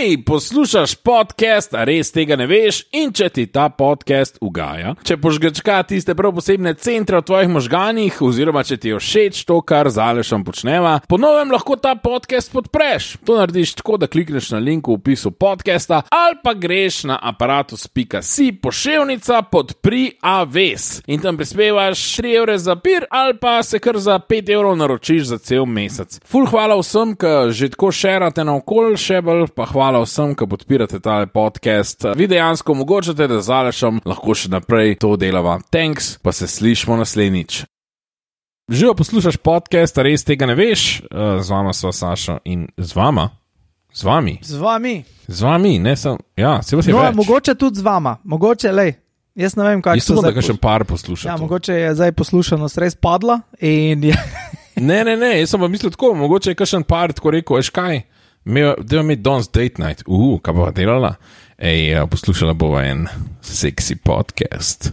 Hej, poslušaš podcast, a res tega ne veš, in če ti ta podcast ugaja, če požgečka tiste prav posebne centre v tvojih možganih, oziroma če ti je všeč to, kar z Alešem počneva, po novem lahko ta podcast podpreš. To narediš tako, da klikneš na link v opisu podcasta ali pa greš na aparatus.si poševnica podpri aves in tam prispevaš 3 evre za pir ali pa se kar za 5 evrov naročiš za cel mesec. Ful hvala vsem, ki že tako šerate naokol, še bolj pa hvala vsem, ki podpirate tale podcast. Vi dejansko omogočate, da z Alešem lahko še naprej to delava. Thanks, pa se slišmo naslednjič. Živo poslušaš podcast, a res tega ne veš? Z vama sva Saša in z vama. Z vami. Z vami, ne sem. Ja, se vas je več. Mogoče tudi z vama. Mogoče, lej. Jaz ne vem, kako so zdaj. Jaz sem da par poslušal. Ja, mogoče je zdaj poslušanost res padla in je... Ne, jaz sem pa mislil tako, mogoče je kakšen par tako rekel, veš kaj? Deva mi danes date night. Kaj bova delala? Poslušala bova en seksi podcast.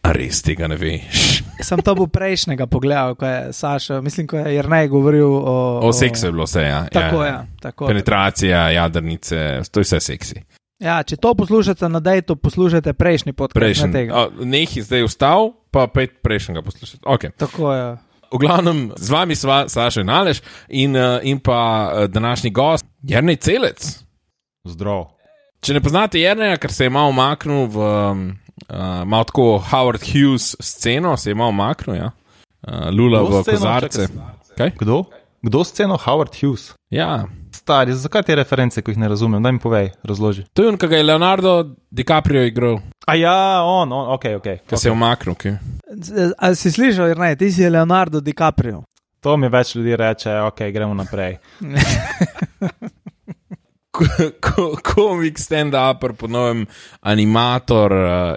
A res tega ne veš? Sem to bil prejšnjega pogledal, ko je Saša, mislim, ko je Jernej govoril o seksu je bilo vse, ja. Tako je. Tako. Penetracija, jadrnice, to je vse seksi. Ja, če to poslušate na dejtu, poslušajte prejšnji podcast. Nekaj zdaj vstal, pa pet prejšnjega poslušati. Okay. Tako je. V glavnem, z vami sva Saša in Aleš in pa današnji gost, Jernej Celec. Zdrav. Če ne poznate Jerneja, ker se je malo umaknil v malo tako Howard Hughes sceno, se je malo umaknil, ja. Lula v kozarce. Kaj? Kdo sceno Howard Hughes? Ja. Stari, zakaj te reference, ko jih ne razumem? Daj mi povej, razloži. To je on, ki ga je Leonardo DiCaprio igral. A ja, on, okej. Ko se je umaknil, ok. A si slišal, Jernej, ti si Leonardo DiCaprio. To mi več ljudi reče, ok, gremo naprej. Komik stand-upper, po novem animator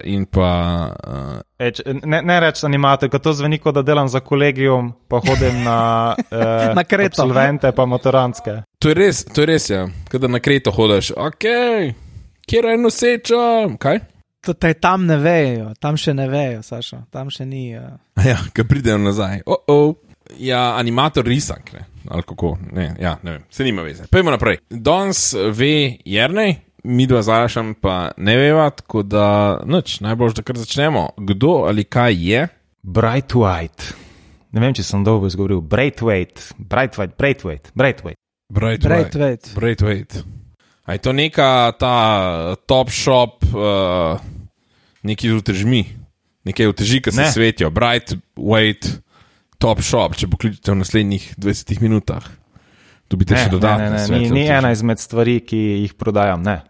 in pa... Ne reč animator, ko to zveni, kot da delam za kolegium, pa hodim na, na Kreto. Absolvente pa motorantske. To je res, ja. Kada na Kreto hodiš, ok, kjer je noseča, kaj? Tam ne vejo, tam še ne vejo, Saša, tam še ni... Ja, ko pridejo nazaj, Ja, animator risank, ne, ali kako, ne vem, se nima veze. Pojmo naprej. Danes ve Jernej, mi dva z Alešem pa ne veva, tako da, najbolj, da kar začnemo. Kdo ali kaj je? Braithwaite. Ne vem, če sem dolgo izgovoril. Braithwaite. A je to neka ta top shop, neki z utežmi, nekaj uteži, ki se svetijo. Braithwaite. Top shop, če pokličete v naslednjih 20 minutah. Dobite še dodatne svetle. Ni ena izmed stvari, ki jih prodajam, ne.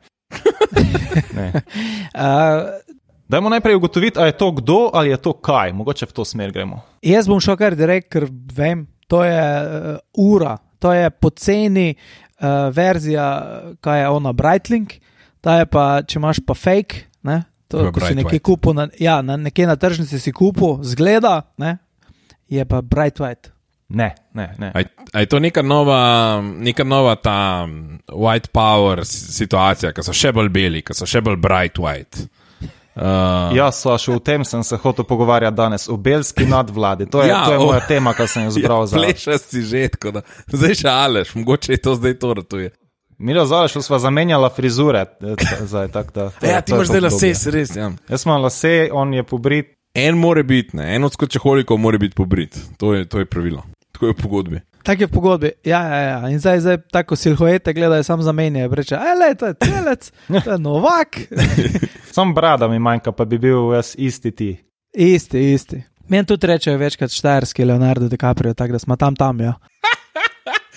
Dajmo najprej ugotoviti, a je to kdo ali je to kaj. Mogoče v to smer gremo. Jaz bom šel kar direkt, ker vem, to je ura. To je poceni verzija, kaj je ona Breitling. Ta je pa, če imaš pa fake, ne. To, ko si nekaj kupil, nekje na tržnici si kupil, zgleda, ne. Je pa Braithwaite. Ne. A je to neka nova ta white power situacija, ki so še bolj beli, ki so še bolj Braithwaite? Saša, v tem sem se hotel pogovarjati danes, o belski nadvladi. To je moja tema, kar sem jo zbral za... Plešaš si že, tako da zdaj še Aleš, mogoče je to zdaj to ratuje. Milo z Alešem sva zamenjala frizure. Zdaj, ti imaš zdaj lase, se res, ja. Jaz imam lase, on je pobrit. En more biti, ne. En od skočeholikov more biti pobrit. To je pravilo. Tako je v pogodbi. Tako je v pogodbi, ja. In zdaj tako silhuete gledajo, sam zamenjajo. Reče, to je Celec, to je Novak. Sam brada mi manjka, pa bi bil jaz isti ti. Isti. Meni tudi rečejo večkrat štajerski Leonardo DiCaprio, tako da smo tam, ja.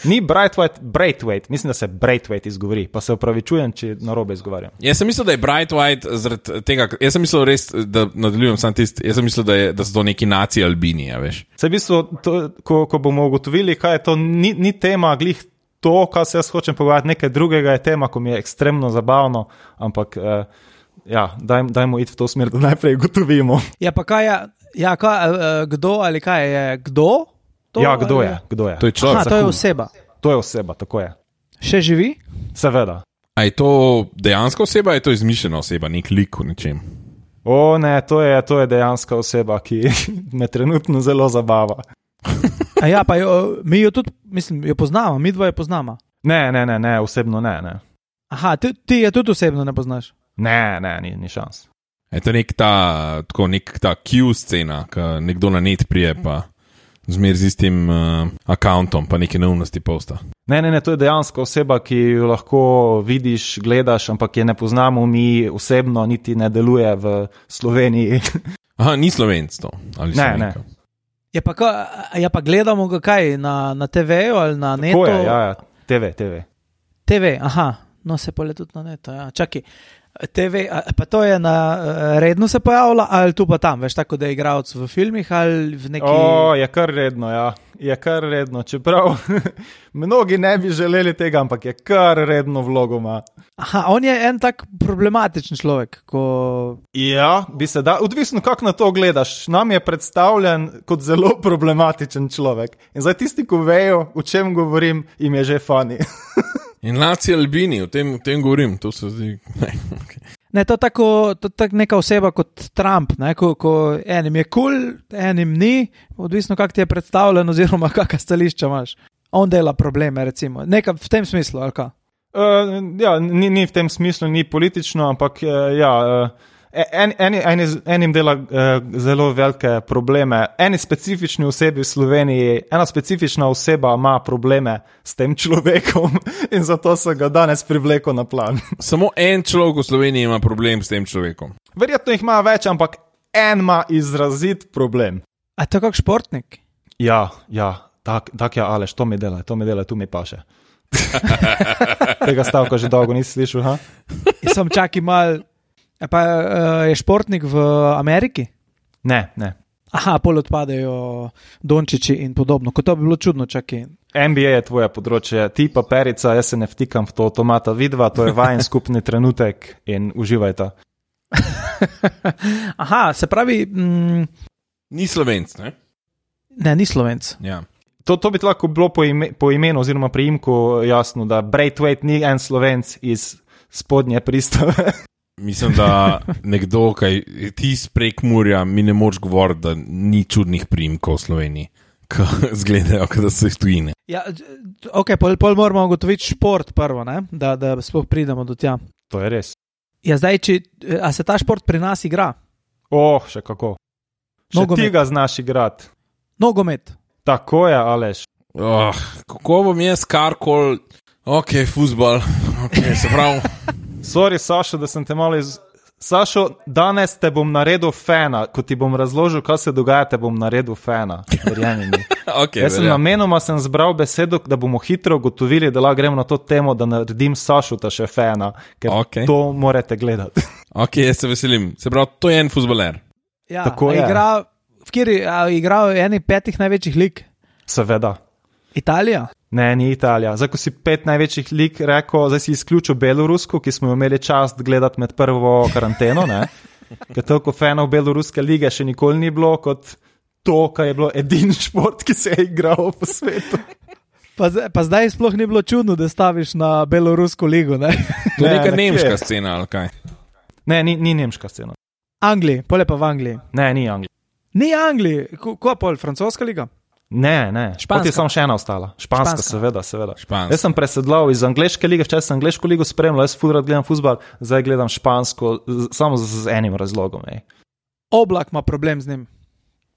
Ni Braithwaite, mislim, da se Braithwaite izgovori, pa se opravičujem, če narobe izgovarjam. Jaz sem mislil, da je Braithwaite zaradi tega, jaz sem mislil res, da nadaljujem sam tisti, jaz sem mislil, da so to neki naci Albini, ja, veš. Se v bistvu, ko bomo ugotovili, kaj je to, ni tema glih to, kar se jaz hočem pogovarjati, nekaj drugega je tema, ko mi je ekstremno zabavno, ampak dajmo iti v to smer, da najprej ugotovimo. Ja, pa kaj je, kdo ali kaj je, kdo? Kdo je? To je človek. To je oseba. To je oseba, tako je. Še živi? Seveda. A je to dejanska oseba, ali je to izmišljena oseba, nek lik v nečem? Ne, to je dejanska oseba, ki me trenutno zelo zabava. Pa mi jo tudi, mislim, jo poznamo, mi dva jo poznamo. Ne, osebno ne. Aha, ti je tudi osebno ne poznaš? Ne, ni šans. Je to nek ta Q scena, ko nekdo na net prije, pa zmer z istim accountom, pa neke neumnosti posta. Ne, to je dejansko oseba, ki jo lahko vidiš, gledaš, ampak je ne poznamo mi osebno, niti ne deluje v Sloveniji. Aha, ni Slovenc to? Ali ne. Ja pa gledamo ga kaj, na TV-ju ali na netu? Tako je, ja, TV. TV, aha, no se pole tudi na netu, ja. Čakaj, TV, pa to je redno se pojavlja ali tu pa tam, veš, tako da je igralec v filmih ali v neki... Je kar redno, ja. Je kar redno, čeprav mnogi ne bi želeli tega, ampak je kar redno vlogo ima. Aha, on je en tak problematičen človek, ko... Ja, bi se da, odvisno kako na to gledaš. Nam je predstavljen kot zelo problematičen človek. In zdaj tisti, ko vejo, o čem govorim, jim je že funny. In Naci Albini, o tem govorim, to se zdi... Ne, to tako neka oseba kot Trump, ne, ko enim je cool, enim ni, odvisno kako ti je predstavljen oziroma kakšna stališča imaš. On dela probleme, recimo. Nekaj v tem smislu, ali kaj? Ja, ni v tem smislu, ni politično, ampak enim dela zelo velike probleme. Eni specifični osebi v Sloveniji, ena specifična oseba ima probleme s tem človekom in zato se ga danes privleko na plan. Samo en človek v Sloveniji ima problem s tem človekom. Verjetno jih ima več, ampak en ima izrazit problem. A to kak športnik? Ja, tak je, Aleš, to mi dela, tu mi paše. Tega stavka že dolgo nisi slišal, ha? Sem čakaj mal... Pa je športnik v Ameriki? Ne. Aha, pol odpadejo Dončići in podobno, kot to bi bilo čudno, čakaj. NBA je tvoje področje, ti pa Perica, jaz se ne vtikam v to avtomata vidva, to je vajen skupni trenutek in uživajte. Aha, se pravi... Ni Slovenc, ne? Ne, ni Slovenc. Ja. To bi lahko bilo po imenu oziroma priimku jasno, da Braithwaite ni en Slovenc iz spodnje Pristave. Mislim, da nekdo, kaj ti iz Prekmurja, mi ne moč govoriti, da ni čudnih priimkov v Sloveniji, ko zgledajo, da so iz tujine. Ja, ok, pol moramo ugotoviti šport prvo, ne? Da sploh pridemo do tja. To je res. Ja, zdaj, a se ta šport pri nas igra? Še kako. Še Nogomet. ti ga znaš igrati. Nogomet. Tako je, Aleš. Kako bom jaz karkoli, ok, fuzbal, ok, se pravi... Sorry, Sašo, da sem te malo Sašo, danes te bom naredil fena. Ko ti bom razložil, kaj se dogaja, te bom naredil fena. Verjemi mi. Okay, jaz sem namenoma zbral besedo, da bomo hitro ugotovili, da lahko gremo na to temo, da naredim Sašo ta še fena, ker to morate gledati. Ok, jaz se veselim. Se pravi, to je en fuzbaler. Ja, tako je. Igra v eni 5 največjih lig? Seveda. Italija? Ne, ni Italija. Zdaj, ko si 5 največjih lig rekel, zdaj si izključil Belorusko, ki smo jo imeli čast gledati med prvo karanteno, ne? Ker toliko fanov Beloruske lige še nikoli ni bilo kot to, kar je bilo edini šport, ki se je igral po svetu. Pa zdaj sploh ni bilo čudno, da staviš na Belorusko ligo, ne? To je neka nemška scena, ali kaj? Ne, ni nemška scena. Angliji, pole pa v Angliji. Ne, ni Angliji. Ni Angliji, ko pol, francoska liga? Ne. Pot je samo še ena ostala. Španska. Seveda. Španska. Jaz sem presedlal iz angleške lige, včasih sem angleško ligo spremljal, jaz ful rad gledam fuzbal, zdaj gledam špansko, samo z enim razlogom. Oblak ima problem z njim.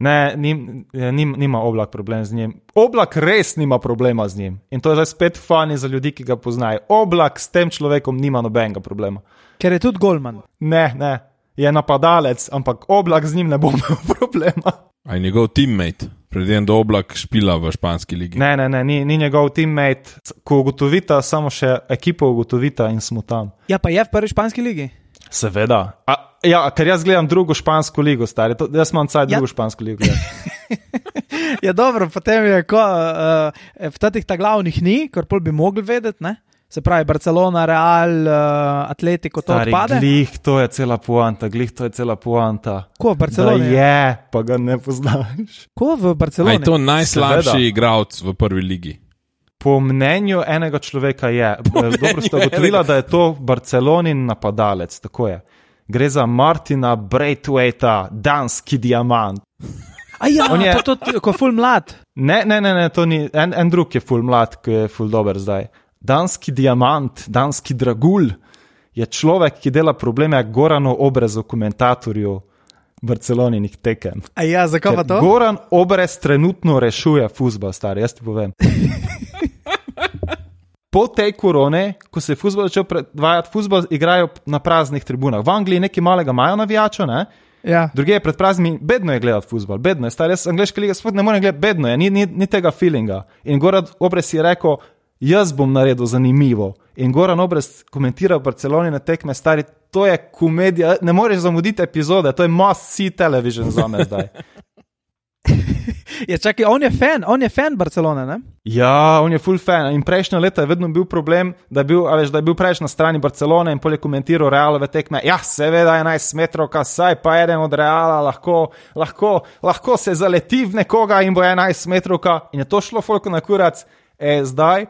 Ne, nima Oblak problem z njim. Oblak res nima problema z njim. In to je zdaj spet funny za ljudi, ki ga poznajo. Oblak s tem človekom nima nobenega problema. Ker je tudi golman. Ne. Je napadalec, ampak Oblak z njim ne bo imel problema. A je njegov teammate? Predtem, da Oblak špila v španski ligi. Ne, ni njegov teammate. Ko ugotovita, samo še ekipo ugotovita in smo tam. Ja, pa je v prvi španski ligi? Seveda. Ja, ker jaz gledam drugo špansko ligo, stari. Jaz imam caj drugo špansko ligo. Ja, dobro, potem je, v tatih ta glavnih ni, kar pol bi mogli vedeti, ne? Se pravi, Barcelona, Real, Atletico, to odpade? Glih, to je cela poanta. Ko v Barceloni? Da je, pa ga ne poznaš. Ko v Barceloni? A je to najslabši igralec v prvi ligi? Po mnenju enega človeka je. Dobro ste ugotovila, da je to Barcelonin napadalec, tako je. Gre za Martina Braithwaita, danski diamant. A ja, pa to, ko je ful mlad. Ne, to ni, en drug je ful mlad, ki je ful dober zdaj. danski diamant, danski dragulj je človek, ki dela probleme Goranu Obrezu, komentatorju Barceloninih tekem. A ja, zakaj pa to? Goran Obrez trenutno rešuje fuzbal, stari, jaz ti povem. Po tej korone, ko se je fuzbal začel predvajati, fuzbal igrajo na praznih tribunah. V Angliji nekaj malega imajo navijača, ne? Ja. Druge pred praznimi, bedno je gledati fuzbal, bedno je, stari, jaz angleška liga sploh ne morem gledati, bedno je, ni tega feelinga. In Goran Obrez je rekel, jaz bom naredil zanimivo. In Goran Obrez komentira v Barceloni na tekme, stari, to je komedija, ne moreš zamuditi epizode, to je must see television za me zdaj. Je, čakaj, on je fan Barcelone, ne? Ja, on je full fan in prejšnja leta je vedno bil problem, da je bil preveč na strani Barcelone in polje komentiral Realove tekme. Ja, seveda 11 metrov, saj pa eden od Reala lahko se zaleti v nekoga in bo 11 metrov, in je to šlo folko na kurac. Zdaj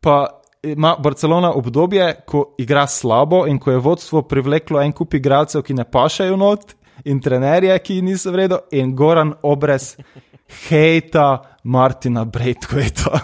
pa ima Barcelona obdobje, ko igra slabo in ko je vodstvo privleklo en kup igralcev, ki ne pašajo not, in trenerje, ki niso v redu, in Goran Obrez hejta Martina Braithwaita.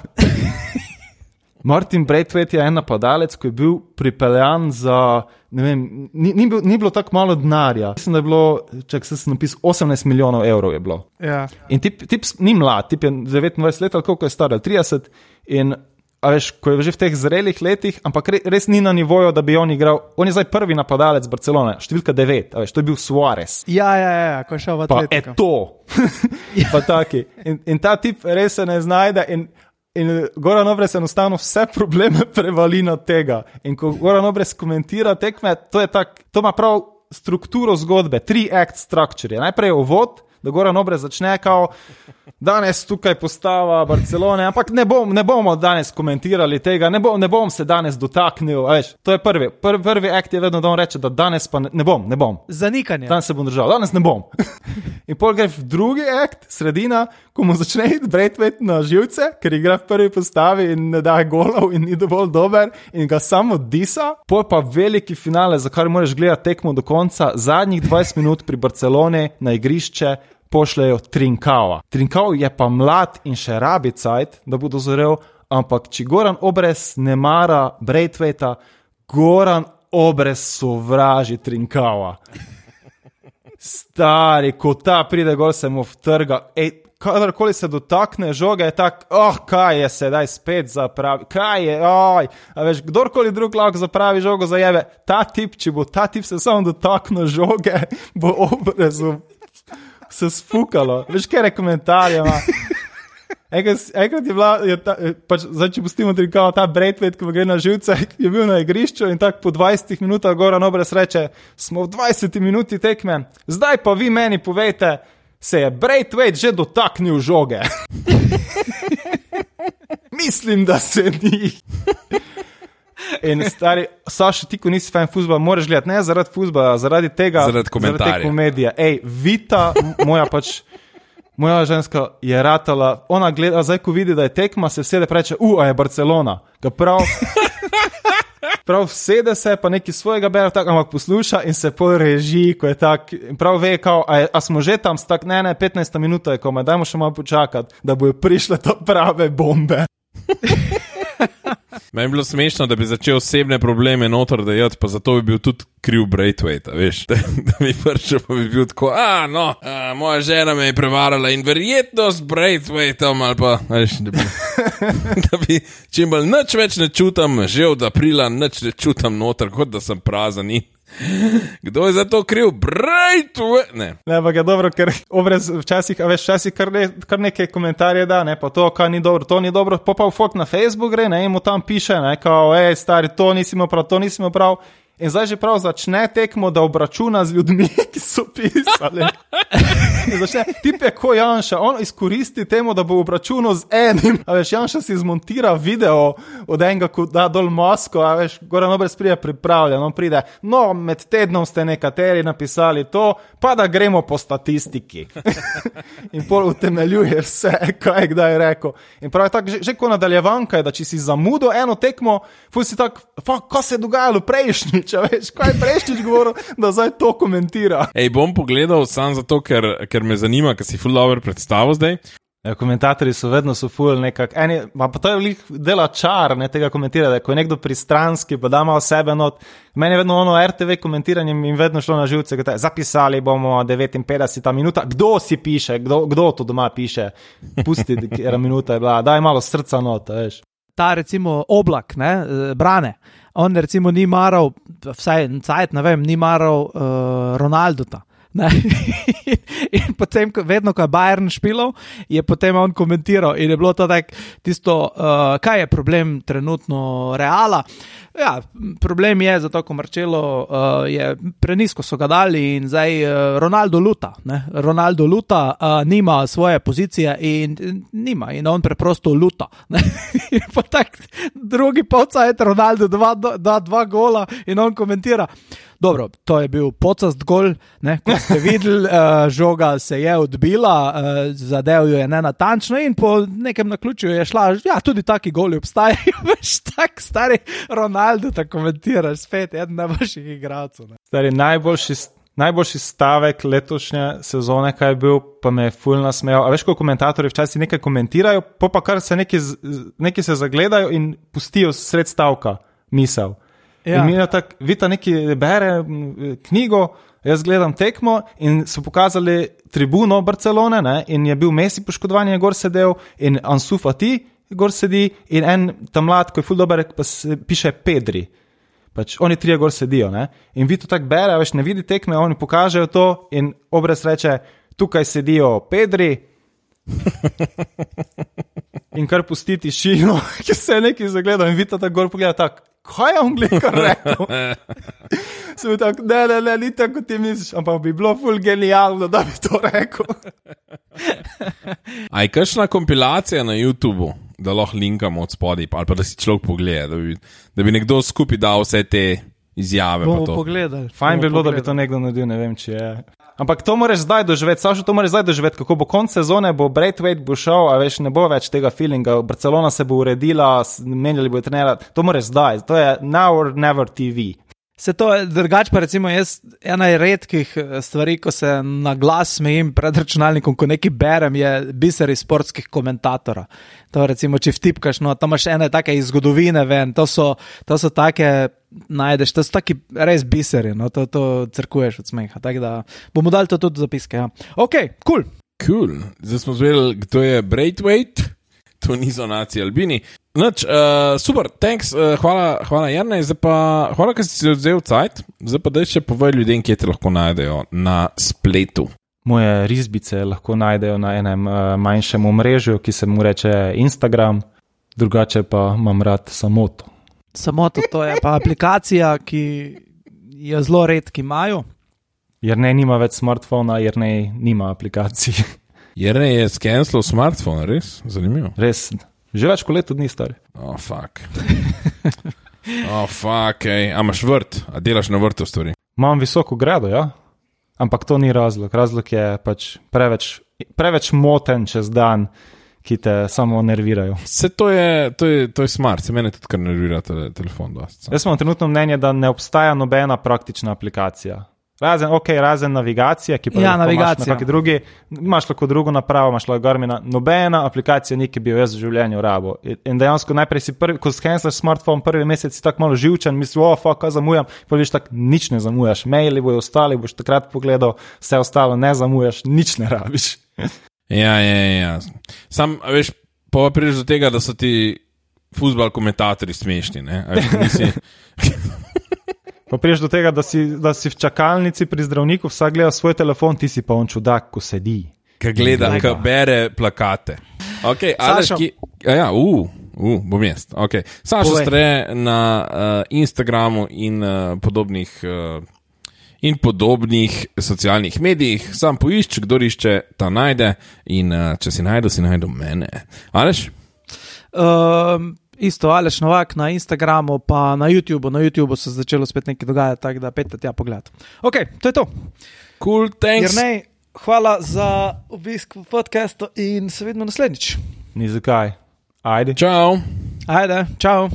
Martin Braithwaite je en napadalec, ko je bil pripeljan za, ne vem, ni bilo tako malo denarja. Mislim, da je bilo, čak se sem napisal, 18 milijonov evrov je bilo. Ja. In tip ni mlad, tip je 29 let ali koliko je star, 30, in a veš, ko je že v teh zrelih letih, ampak res ni na nivoju, da bi on igral. On je zdaj prvi napadalec Barcelone, številka 9, a veš, to je bil Suarez. Ja, ko je šel v Atletiko. Pa pa taki. In ta tip res se ne znajde in Goran Obrez enostavno vse probleme prevali na tega. In ko Goran Obrez komentira tekme, to ima prav strukturo zgodbe, 3-act structure. Najprej je uvod, da Goran Obrez začne kao, danes tukaj postava Barcelone, ampak ne bomo danes komentirali tega, ne bom se danes dotaknil, veš, to je prvi akt je vedno, da on reče, da danes pa ne bom. Zanikanje. Danes se bom držal, danes ne bom. In pol gre v drugi akt, sredina, ko mu začne iti Braithwaite na živce, ker igra v prvi postavi in ne daje golov in ni dovolj dober in ga samo disa, pol pa veliki finale, za kar moraš gledati tekmo do konca, zadnjih 20 minut pri Barcelone na igrišče pošljajo Trincao. Trincao je pa mlad in še rabi cajt, da bo dozorel, ampak če Goran Obrez ne mara Braithwaita, Goran Obrez sovraži Trincao. Stari, ko ta pride gol, se mu vtrga. Kadarkoli se dotakne žoge, je tak, kaj je sedaj spet zapravi, kaj je, a veš, kdorkoli drug lahko zapravi žogo zajebe, če bo ta tip se samo dotaknil žoge, bo Obrezu se spukalo. Veš, kere komentarje ima. Enkrat je bila, zdaj če pustimo Trincao, ta Braithwaite, ko gre na živce, je bil na igrišču in tako po 20 minutah Goran Obrez reče, smo v 20 minuti tekme, zdaj pa vi meni povejte, se je Braithwaite že dotaknil žoge. Mislim, da se ni. In stari, Saša, ti ko nisi fan fuzbala, moraš gledati, ne zaradi fuzbala, zaradi tega, zaradi komentarja. Zaradi te komedije. Vita, moja ženska je ratala, ona gleda, zdaj ko vidi, da je tekma, se vsede preče, a je Barcelona. Ga prav vsede se, pa neki svojega bera, tak, ampak posluša in se poreži, ko je tak, prav ve, kao, a smo že tam, tak, ne, 15 minuta je komaj, dajmo še malo počakati, da bojo prišle to prave bombe. Meni je bilo smešno, da bi začel osebne probleme noter dajati, pa zato bi bil tudi kriv Braithwaite, veš, da bi pršel, pa bi bil tako, moja žena me je prevarala in verjetno s Braithwaitom, ali pa, veš, da bi čim bolj nič več ne čutam, že od aprila nič ne čutam noter, kot da sem prazen in kdo je za to kriv? Braithwaite! Ne, pa je dobro, ker Obrez včasih kar neke komentarje da, ne, pa to, kaj ni dobro, to ni dobro, pa v folk na Facebook gre, ne, in mu tam piše, ne, kao, stari, to nisi imel prav, in zdaj že prav začne tekmo, da obračuna z ljudmi, ki so pisali. Tip je ko Janša, on izkoristi temu, da bo obračunal z enim, a veš, Janša si zmontira video od enega, ko da dol masko, a veš, Goran Obrez pride pripravljen, on pride, med tednom ste nekateri napisali to, pa da gremo po statistiki. In pol utemeljuje vse, kaj je kdaj rekel. In prav je tako, že ko nadaljevanka je, da če si zamudil eno tekmo, fuj si tak, kaj se je dogajalo prejšnjič, a veš, kaj je prejšnjič govoril, da zdaj to komentira. Bom pogledal sam zato, ker me zanima, ker si ful dobro predstavil zdaj. Ja, komentatorji so vedno ful nekak, pa to je dela čar, ne, tega komentirati, ko je nekdo pristranski, pa da malo sebe not. Meni je vedno ono RTV komentiranje in vedno šlo na živce, kot je, zapisali bomo 59 minuta, kdo si piše, kdo to doma piše, pusti, kera minuta je bila, daj malo srca not, veš. Ta recimo Oblak, ne, Brane, on recimo ni maral, vsaj cajt, ne vem, ni maral Ronaldota. In potem, vedno, ko je Bayern špilal, je potem on komentiral in je bilo to tak, tisto, kaj je problem trenutno Reala. Ja, problem je, zato ko Marcelo je prenisko so ga dali in zdaj Ronaldo luta. Ne? Ronaldo luta, nima svoje pozicije in nima in on preprosto luta. In pa tak drugi polcajt Ronaldo da 2 gola in on komentira. Dobro, to je bil pocast gol, ne, kot ste videli, žoga se je odbila, zadev jo je nenatančno in po nekem naključju je šla, ja, tudi taki goli obstajajo, veš, tak stari Ronaldo tako komentiraš, spet eden najboljših igralcev. Stari, najboljši stavek letošnje sezone, kaj je bil, pa me je ful nasmejal. A veš, ko komentatorji včasih nekaj komentirajo, pa kar se neki se zagledajo in pustijo sred stavka misel. Ja. In mi je tako, Vita neki bere knjigo, jaz gledam tekmo in so pokazali tribuno Barcelone, ne, in je bil Messi poškodovan, je gor sedel in Ansu Fati gor sedi in en tam mlad, ko je ful dober, pa piše Pedri. Pač oni 3 gor sedijo, ne. In Vito tako bere, veš, ne vidi tekme, oni pokažejo to in obraz reče, tukaj sedijo Pedri in kar pusti tišino, ki se je neki zagledal in Vito tako gor pogleda tako, kaj je on glikar rekel? Sem tako, ne, ni tako, kot ti misliš, ampak bi bilo ful genialno, da bi to rekel. A je kakšna kompilacija na YouTubeu, da lahko linkamo od spodaj, ali pa da si človek pogleda, da bi nekdo skupaj dal vse te izjave? Bomo pogledali. Fajn bi bilo, da bi to nekdo naredil, ne vem, če je. Ampak to moraš zdaj doživeti, Sašo, to moraš zdaj doživeti, kako bo konc sezone, bo Braithwaite bo šel, a veš, ne bo več tega feelinga, Barcelona se bo uredila, menjali bo trenera, to moraš zdaj, to je now or never TV. Se to je drugače, pa recimo jaz ena redkih stvari, ko se na glas smejim pred računalnikom, ko nekaj berem, je biseri sportskih komentatorov. To recimo, če vtipkaš, no, tam imaš ene take iz zgodovine ven, to so take, najdeš, to so taki res biseri, no, to crkuješ od smeha, tako da bomo dali to tudi zapiske, ja. Ok, cool. Cool, zdaj smo zvedeli, kdo je Braithwaite, to niso naci Albini. Noč, super, thanks, hvala Jernej, zdaj pa, hvala, ker si se odzel cajt, zdaj pa daj še povej ljudem, kje te lahko najdejo na spletu. Moje risbice lahko najdejo na enem manjšem omrežju, ki se mu reče Instagram, drugače pa imam rad Samoto. Samoto, to je pa aplikacija, ki jo zelo redki imajo. Jernej nima več smartfona, Jernej nima aplikacij. Jernej je skenslal smartfon, res? Zanimivo. Res, že več kot leto dni stari. Oh, fuck. Ej. A imaš vrt? A delaš na vrtu stvari? Imam visoko grado, ja. Ampak to ni razlog. Razlog je pač preveč moten čez dan, ki te samo nervirajo. Se to je smart, se mene tudi kar nervira telefon dosti. Jaz imam trenutno mnenje, da ne obstaja nobena praktična aplikacija. Razen navigacija, ki pa imaš na kakšni drugi, imaš lahko drugo napravo, imaš lahko Garmina, nobena aplikacija ni, ki bi jo jaz v življenju rabo. In dejansko najprej si ko skenslaš smartphone, prvi mesec si tako malo živčen, misliš, kaj zamujam, pa vidiš tako, nič ne zamujaš, maili bojo ostali, boš takrat pogledal, vse ostalo ne zamujaš, nič ne rabiš. Ja. Sam, veš, pa prideš do tega, da so ti fuzbal komentatorji smešni, ne? Pa priješ do tega, da si v čakalnici pri zdravniku, vsak gleda svoj telefon, ti si pa on čudak, ko sedi. Ka gleda, ka bere plakate. Ok, Sašo. Bom jaz. Ok, Sašo Stre na Instagramu in podobnih socialnih medijih. Sam poišč, kdo išče, ta najde in če si najdu mene. Aleš? Isto, Aleš Novak na Instagramu, pa na YouTubeu. Na YouTubeu se začelo spet nekaj dogajati, tako da pejte tja pogled. Ok, to je to. Cool, thanks. Jernej, hvala za obisk v podcastu in se vidimo naslednjič. Ni zakaj. Ajde. Čau. Ajde, čau.